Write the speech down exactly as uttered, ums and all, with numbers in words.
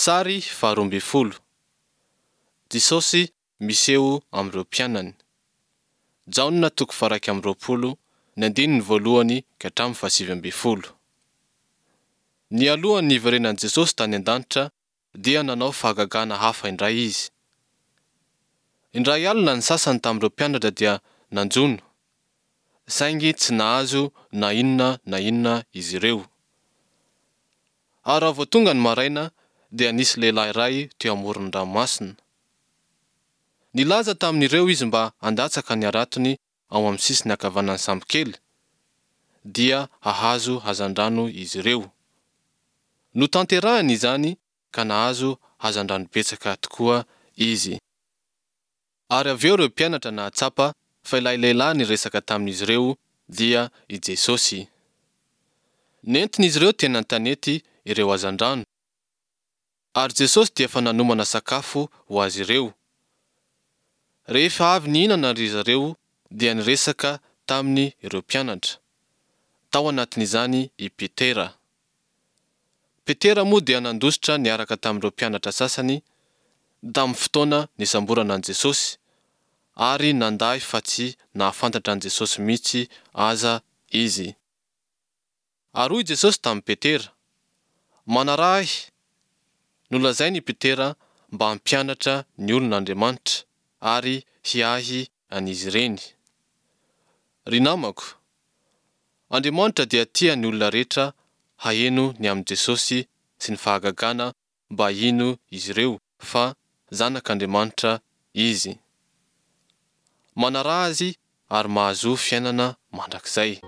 Sary faharoa ambin'ny folo. Jesosy miseho amin'ireo mpianany. Jaona toko faha-iraika amby roapolo, ny andininy voalohany ka hatramin'ny fahasivy ambin'ny folo. Nialohan'ny niverenan'i Jesosy tany an-danitra dia nanao fahagagana hafa indray izy. Indray alina ny sasany tamin'ireo mpianatra dia nanjono, saingy tsy nahazo na inona na inona izy ireo. Ary raha vao tonga ny maraina dia nisy lehilahy iray teo amoron'ny ranomasina. Nilaza tamin'ireo izy mba handatsaka ny haratony ao amin'ny sisiny ankavanan'ny sambokely, dia hahazo hazandrano izy ireo. Notanterahiny izany ka nahazo hazandrano betsaka tokoa izy. Ary avy eo ireo mpianatra nahatsapa fa ilay lehilahy niresaka tamin'izy ireo dia i Jesosy. Nentin'izy ireo teny an-tanety ireo hazandrano. Ary Jesosy dia efa nanomana sakafo ho azy ireo. Rehefa avy nihinana ry zareo dia niresaka taminy ireo mpianatra. Tao anatin'izany i Petera. Petera moa dia nandositra niaraka tamin'ireo mpianatra sasany tamin'ny fotoana nisamborana an'i Jesosy, ary nandà fa tsy nahafantatra an'i Jesosy mihitsy aza izy. Ary hoy Jesosy tamin'i Petera, Manaraha Ahy. Nolazainy i Petera mba hampianatra ny olona Andriamanitra ary hiahy an'izy ireny. Ry namako, Andriamanitra dia tia ny olona rehetra haheno ny amin'i Jesosy sy ny fahagagana mba hino izy ireo fa Zanak'Andriamanitra Izy. Manaraha Azy ary mahazoa fiainana mandrakizay.